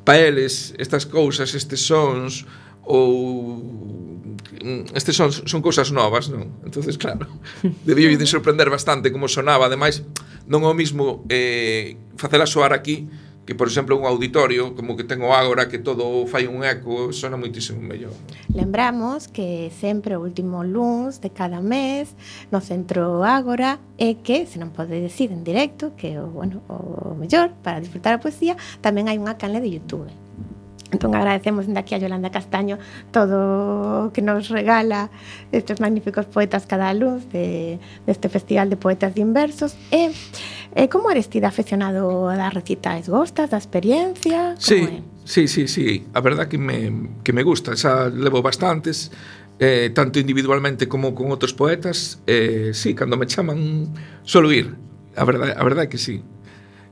para eles, estas cousas, estes sons, ou estes son cousas novas, non? Entonces, claro, debía de sorprender bastante como sonaba. Ademais, non é o mismo facela soar aquí que, por exemplo, un auditorio como que ten o Ágora, que todo fai un eco, sona moitísimo mellor. Lembramos que sempre o último luns de cada mes no Centro Ágora, e que, se non pode decir en directo, que o mellor para disfrutar a poesía, tamén hai unha canle de YouTube. Entón agradecemos dende aquí a Yolanda Castaño todo o que nos regala estes magníficos poetas cada luz deste Festival de Poetas de Inversos. E como eres ti de afeccionado a dar recitais? Gostas da experiencia? Sí. A verdad que me gusta. Xa levo bastantes, tanto individualmente como con outros poetas. Sí, cando me chaman solo ir. A verdade que sí.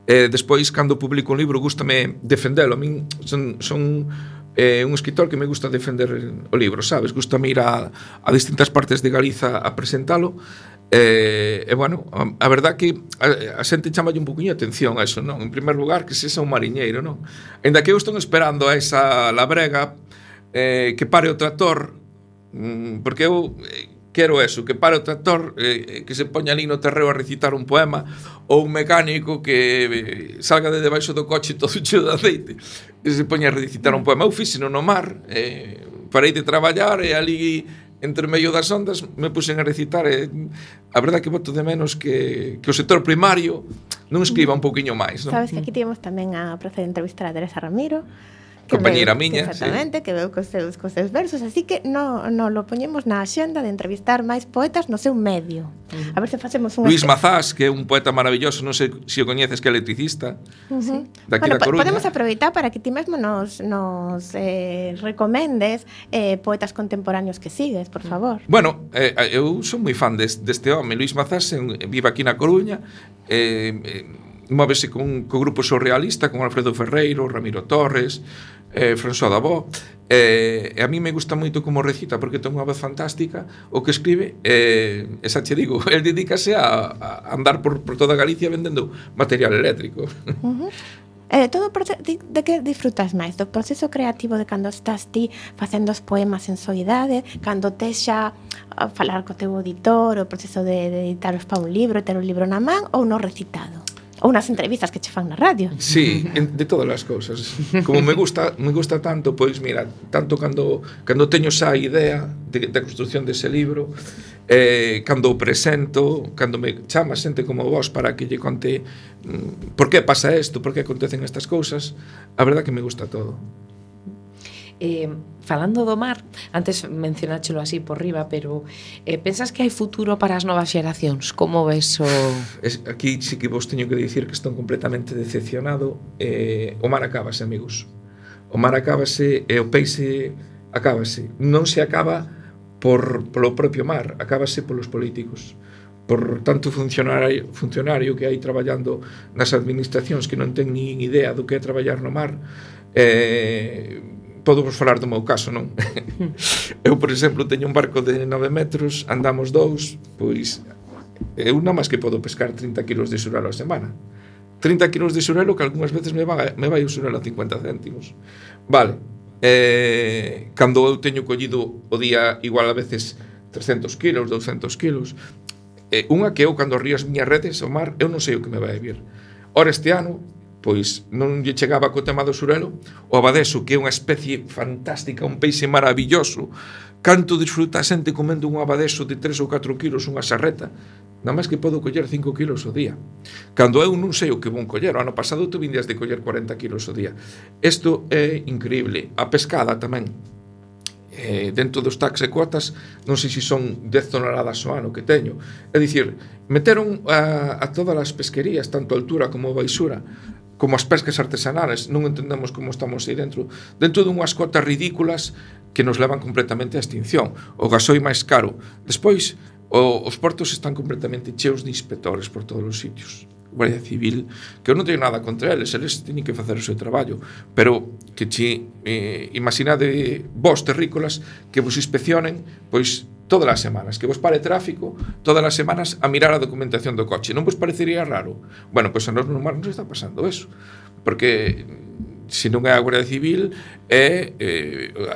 Despois, cando publico un libro, gústame defendelo. A min son un escritor que me gusta defender o libro, sabes? Gústame ir a distintas partes de Galiza a presentalo. Bueno, a verdad que a xente chamalle un poquinho atención a eso, non? En primer lugar, que sexa un mariñeiro, non? Ainda que eu estou esperando a esa labrega que pare o tractor, porque eu quero eso, que pare o tractor, que se poña ali no terreo a recitar un poema, ou un mecánico que salga de debaixo do coche todo cheo de aceite e se poña a recitar un poema. Eu fixeno no mar, parei de traballar e ali entre medio das ondas me puxen a recitar, e a verdade que boto de menos que o sector primario non escriba un pouquiño máis, non? Sabes que aquí tivemos tamén a prazer de entrevistar a Teresa Ramiro, compañeira miña, exactamente, sí, que veu cos seus versos, así que no lo poñemos na axenda de entrevistar máis poetas no seu medio. A ver se facemos un Luís Mazás, que é un poeta maravilloso, non sei se o coñeces, que é electricista. Daqui da Coruña. Podemos aproveitar para que ti mesmo nos recomendes poetas contemporáneos que sigues, por favor. Bueno, eu son moi fan deste home. Luís Mazás vive aquí na Coruña, móvese co grupo surrealista, con Alfredo Ferreiro, Ramiro Torres, François Dabó, e a mí me gusta moito como recita, porque ten unha voz fantástica o que escribe, e xa che digo, el dedícase a andar por toda Galicia vendendo material eléctrico. De que disfrutas máis? Do proceso creativo de cando estás ti facendo os poemas en soidade, cando tes xa a falar co teu auditor, o proceso de editaros para un libro, ter un libro na man, ou no recitado? Ou nas entrevistas que che fan na radio. Sí, de todas as cousas. Como me gusta tanto, pois mira, tanto cando teño xa a idea da construción dese libro, cando o presento, cando me chama xente como vos para que lle conte por que pasa isto, por que acontecen estas cousas, a verdad que me gusta todo. Falando do mar, antes mencionáchelo así por riba, pero pensas que hai futuro para as novas xeracións? Como ves o... Aquí sí que vos teño que dicir que estou completamente decepcionado. O mar acábase, amigos. O mar acábase e o peixe acábase. Non se acaba polo propio mar, acábase polos políticos, por tanto funcionario que hai traballando nas administracións que non ten nin idea do que é traballar no mar. Podo vos falar do meu caso, non? Eu, por exemplo, teño un barco de 9 metros, andamos 2, pois eu nada máis que podo pescar 30 kilos de xurelo a semana. 30 kilos de xurelo que algunhas veces me vai o xurelo a 50 céntimos. Vale, cando eu teño collido o día igual a veces 300 kilos, 200 kilos, unha que eu cando río as miñas redes ao mar, eu non sei o que me vai vir. Ora este ano, pois non lle chegaba co tema do xurelo, o abadeso, que é unha especie fantástica, un peixe maravilloso. Canto disfruta a xente comendo un abadeso de 3 ou 4 kilos, unha sarreta, nada máis que podo coller 5 kilos ao día. Cando eu non sei o que vou coller, o ano pasado tu vindias de coller 40 kilos ao día. Isto é increíble. A pescada tamén. dentro dos tax e cuotas, non sei se son 10 toneladas ao ano que teño. É dicir, meteron a todas as pesquerías, tanto a altura como a baixura, como as pescas artesanales, non entendemos como estamos aí dentro dunhas cotas ridículas que nos levan completamente á extinción. O gasoi máis caro. Despois, os portos están completamente cheos de inspectores por todos os sitios. Guardia Civil, que eu non teño nada contra eles teñen que facer o seu traballo, pero que imaginade vos terrícolas que vos inspeccionen pois todas as semanas, que vos pare tráfico todas as semanas a mirar a documentación do coche. Non vos parecería raro? Bueno, pois a nós no mar nos está pasando eso, porque se non é a Guardia Civil é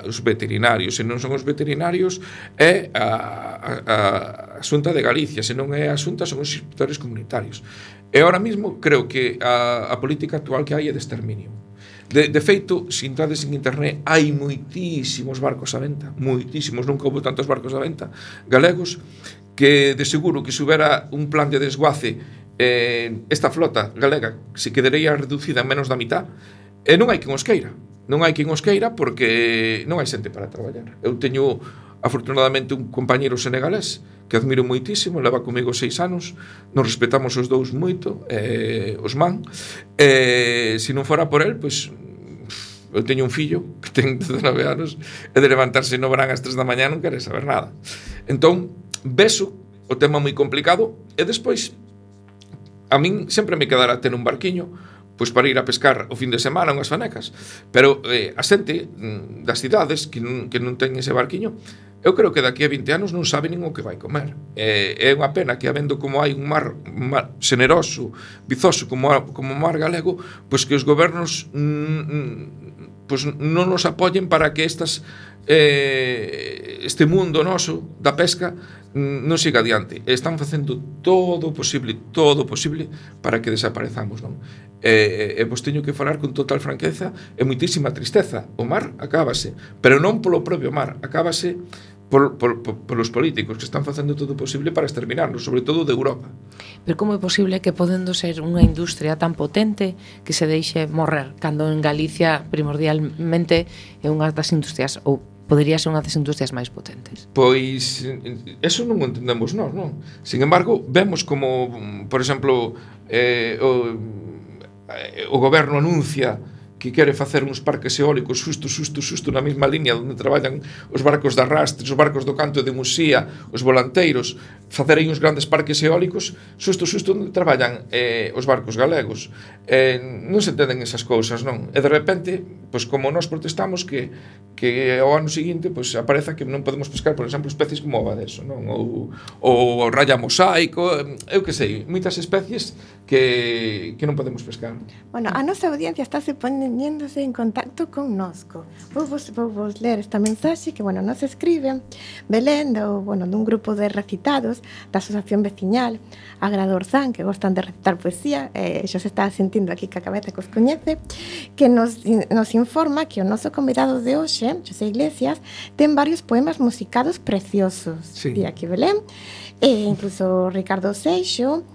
os veterinarios, se non son os veterinarios é a Xunta de Galicia, se non é a Xunta son os inspectores comunitarios. E ahora mismo creo que a política actual que hai é de exterminio. De feito, se entrades en internet, hai moitísimos barcos a venta, moitísimos, nunca houve tantos barcos a venta galegos, que de seguro que se houbera un plan de desguace, esta flota galega se quedaría reducida en menos da mitad, e non hai quen os queira. Non hai quen os queira porque non hai xente para traballar. Eu teño, afortunadamente, un compañeiro senegalés que admiro moitísimo, leva comigo 6 anos, nos respetamos os dous moito, Osman, se non fora por el, pois, eu teño un fillo que ten 19 anos, e de levantarse no verán ás 3 da mañá non quere saber nada. Entón, beso o tema moi complicado, e despois, a min sempre me quedará ter un barquiño, pois para ir a pescar o fin de semana unhas fanecas, pero a xente das cidades que non ten ese barquiño, eu creo que daqui a 20 anos non sabe nin o que vai comer. É unha pena que, habendo como hai un mar xeneroso, vizoso como o mar galego, pois que os gobernos pois non nos apoyen para que este mundo noso da pesca non siga adiante. Están facendo todo o posible para que desaparezamos, non? E vos teño que falar con total franqueza e moitísima tristeza. O mar acábase, pero non polo propio mar, acábase polos políticos que están facendo todo o posible para exterminarnos, sobre todo de Europa. Pero como é posible que podendo ser unha industria tan potente que se deixe morrer, cando en Galicia primordialmente é unha das industrias, ou podería ser unha das industrias máis potentes? Pois, eso non o entendemos nós, non? Sin embargo, vemos como, por exemplo, o goberno anuncia que quere facer uns parques eólicos xusto na mesma liña onde traballan os barcos de arrastres, os barcos do canto de Musía, os volanteiros, facer aí uns grandes parques eólicos xusto onde traballan os barcos galegos. Non se entenden esas cousas, non? E de repente, pois como nós protestamos que ao ano seguinte pois apareza que non podemos pescar, por exemplo, especies como o abadeso, non? Ou o raya mosaico, eu que sei, moitas especies que non podemos pescar. Bueno, a nosa audiencia estáse poñéndose en contacto connosco. Vou vos ler esta mensaxe que, bueno, nos escribe Belén, dun grupo de recitados da Asociación Veciñal Agradorzán, que gostan de recitar poesía, xa se está sentindo aquí que a cabeza que os coñece, que nos informa que o noso convidado de hoxe, José Iglesias, ten varios poemas musicados preciosos. Sí. Di aquí Belén, e incluso Ricardo Seixo,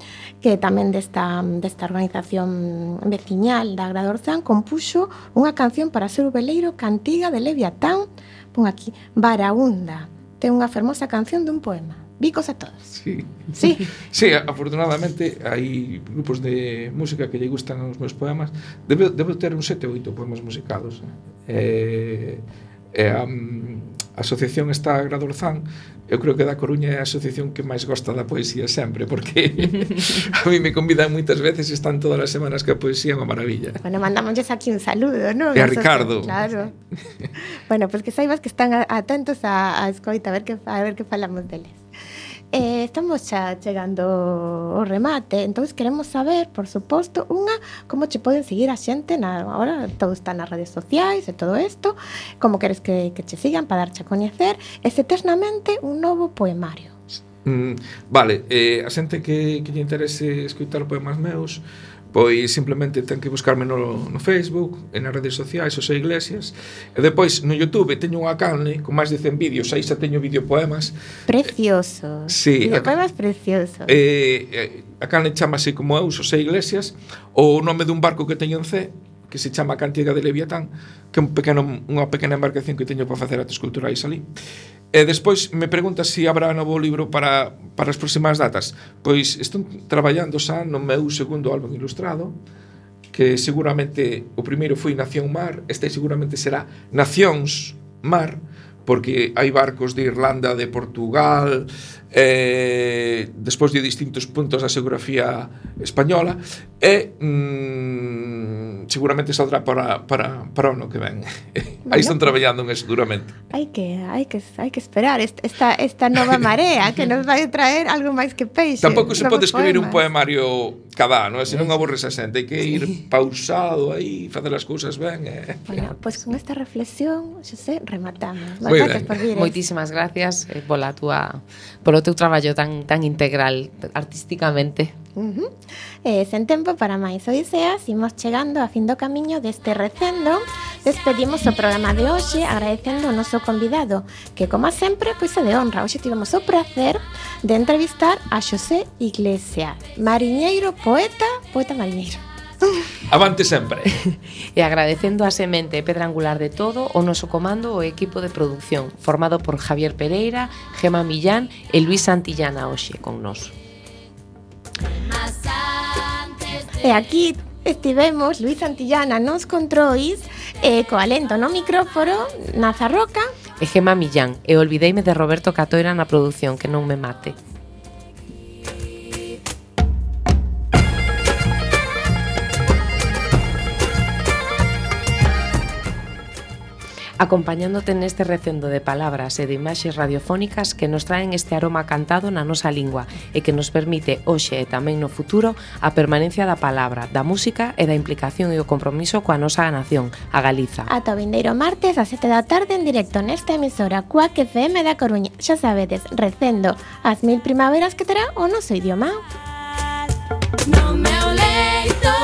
que tamén desta organización veciñal da Agradorzán, compuxo unha canción para ser o veleiro Cantiga de Leviatán, pon aquí, Baraúnda. Ten unha fermosa canción dun poema. Bicos a todos. Sí. Sí. Sí, afortunadamente hai grupos de música que lle gustan os meus poemas. Debo ter uns 7 ou 8 poemas musicados. A asociación está Agradorzán. Eu creo que da Coruña é a asociación que máis gosta da poesía sempre, porque a mí me convidan moitas veces e están todas as semanas que a poesía é unha maravilla. Bueno, mandámosles aquí un saludo, non? E a Ricardo. Claro. Bueno, pues que saibas que están atentos a escoita, a ver que falamos deles. Estamos xa chegando ao remate, entón queremos saber, por suposto, como che poden seguir a xente agora todo está nas redes sociais e todo isto, como queres que che sigan para darche a coñecer, e se eternamente un novo poemario. Vale, a xente que lle interese escoitar poemas meus, pois simplemente ten que buscarme no Facebook, e nas redes sociais, José Iglesias, e depois no YouTube teño unha canle con máis de 100 vídeos, aí xa teño videopoemas. Preciosos. Sí. Videopoemas preciosos. A canle chamase como eu, José Iglesias, o nome dun barco que teño en C, que se chama Cantiga de Leviatán, que é unha pequena embarcación que teño para facer actos culturais ali. E despois me pregunta se habrá novo libro para as próximas datas. Pois estou traballando xa no meu segundo álbum ilustrado, que seguramente o primeiro foi Nación Mar, este seguramente será Nacións Mar, porque hai barcos de Irlanda, de Portugal, despois de distintos puntos da xeografía española, e seguramente saldrá para o ano que ven. Aí están traballando en eso duramente. Hai que esperar esta nova marea que nos vai traer algo máis que peixe. Tampouco se pode escribir un poemario cada ano, se non aborres a xente, hai que ir pausado aí, facer as cousas ben. Bueno, pois con esta reflexión, Xosé, rematamos. Gracias por vir. Moitísimas gracias polo teu traballo tan integral artísticamente. Sen tempo para máis odiseas, imos chegando a fin do camiño deste recendo. Despedimos o programa de hoxe agradecendo o noso convidado, que como sempre, pois é de honra. Hoxe tivemos o placer de entrevistar a Xosé Iglesias, mariñeiro, poeta mariñeiro. Avante sempre. E agradecendo a semente e pedra angular de todo o noso comando o equipo de producción, formado por Javier Pereira, Gema Millán e Luis Santillana hoxe con nos. E aquí estivemos Luis Santillana nos controis, coa lento no micrófono, Nazarroca e Gema Millán. E olvideime de Roberto Catoira na produción, que non me mate. Acompañándote neste recendo de palabras e de imaxes radiofónicas que nos traen este aroma cantado na nosa lingua e que nos permite hoxe e tamén no futuro a permanencia da palabra, da música e da implicación e o compromiso coa nosa nación, a Galiza. Ata o vindeiro martes a 7 da tarde en directo nesta emisora Cuac FM da Coruña. Xa sabedes, recendo as 1000 primaveras que terá o noso idioma. No meu leito